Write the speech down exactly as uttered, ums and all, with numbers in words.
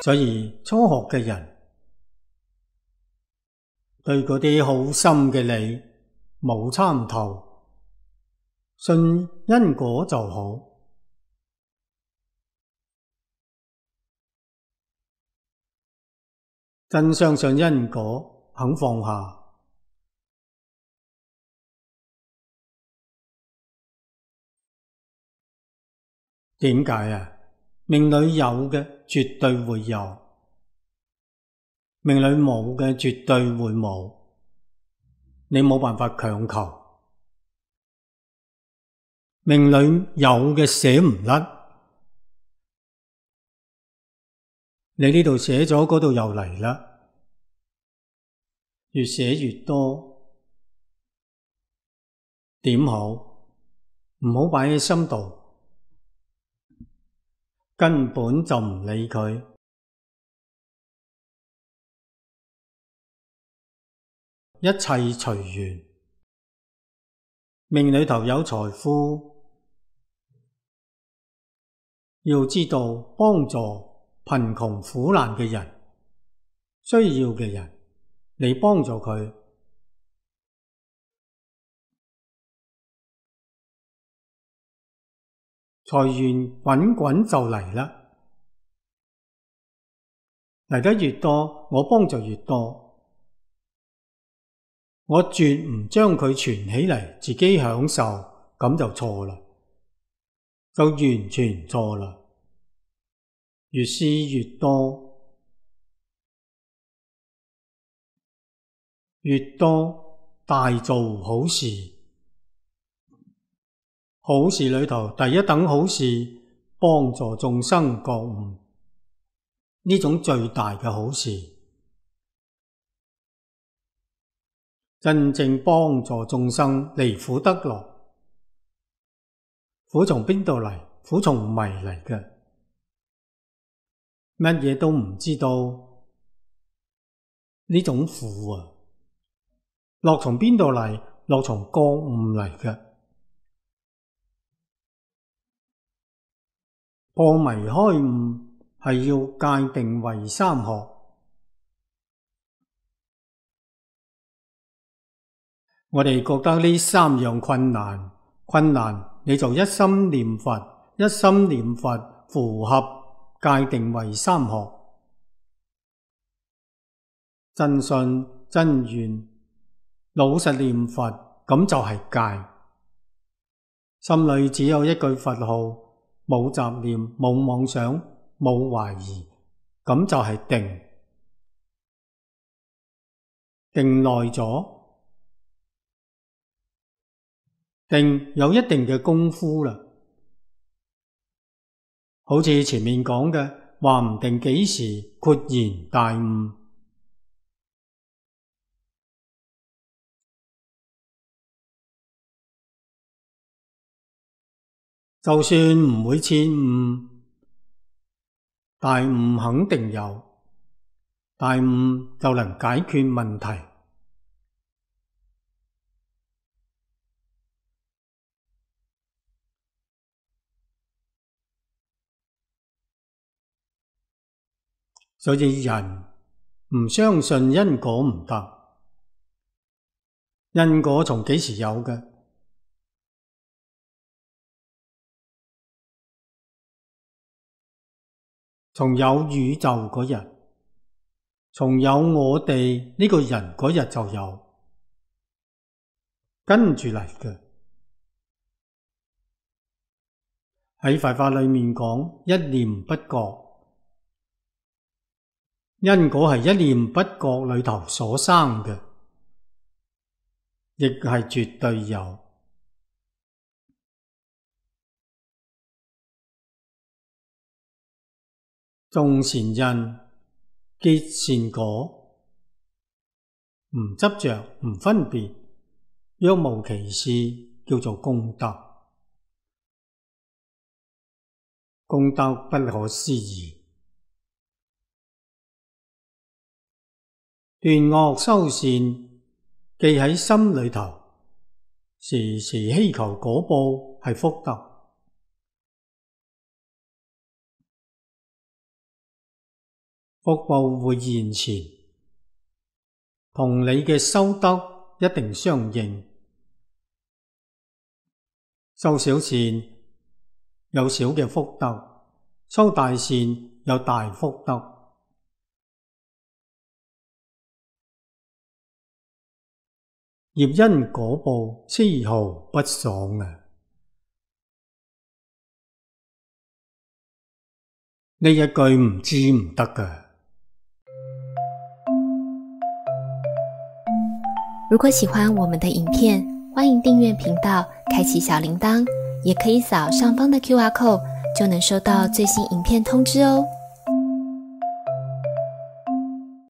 所以初學嘅人對嗰啲好深嘅理冇參透，信因果就好。真相信因果，肯放下。點解啊？命裏有嘅絕對會有，命裏冇嘅絕對會冇，你冇辦法強求。命裏有嘅寫唔甩，你呢度寫咗，嗰度又嚟啦，越寫越多，點好？唔好擺喺心度，根本就唔理佢，一切隨緣。命裏頭有財富，要知道幫助貧窮苦難嘅人，需要嘅人，你幫助佢，財源滾滾就嚟啦。嚟得越多，我幫助越多。我絕唔將佢存起嚟自己享受，咁就錯啦，就完全錯啦。越施越多，越多大做好事。好事裏頭第一等好事，幫助眾生覺悟，呢種最大嘅好事。真正幫助眾生離苦得樂。苦從邊度嚟？苦從迷嚟嘅，乜嘢都唔知道，呢種苦啊。樂從邊度嚟？樂從覺悟嚟嘅。破迷開悟係要界定為三學。我哋覺得呢三樣困難，困難你就一心念佛，一心念佛符合界定為三學。真信真願，老實念佛，咁就係戒。心裏只有一句佛號，冇雜念，冇妄想，冇懷疑，咁就係定。定耐咗，定有一定嘅功夫啦，好似前面講嘅，話唔定幾時豁然大悟。就算唔會徹悟，大悟肯定有，大悟就能解決問題。所以人唔相信因果唔得。因果從幾時有嘅？從有宇宙嗰日，從有我哋呢個人嗰日就有，跟住嚟嘅。喺佛法裏面講，一念不覺。因果係一念不覺裏頭所生嘅，亦係絕對有。種善因，結善果，唔執着，唔分別，若無其事，叫做功德。功德不可思議。斷惡修善，記喺心裏頭，時時希求果報，係福德。福報會現前，同你嘅修德一定相應。修小善有小嘅福德，修大善有大福德。業因果報絲毫不爽啊！呢一句唔知唔得㗎。如果喜歡我們的影片，歡迎訂閱頻道，開啟小鈴鐺，也可以掃上方的 Q R code，就能收到最新影片通知哦。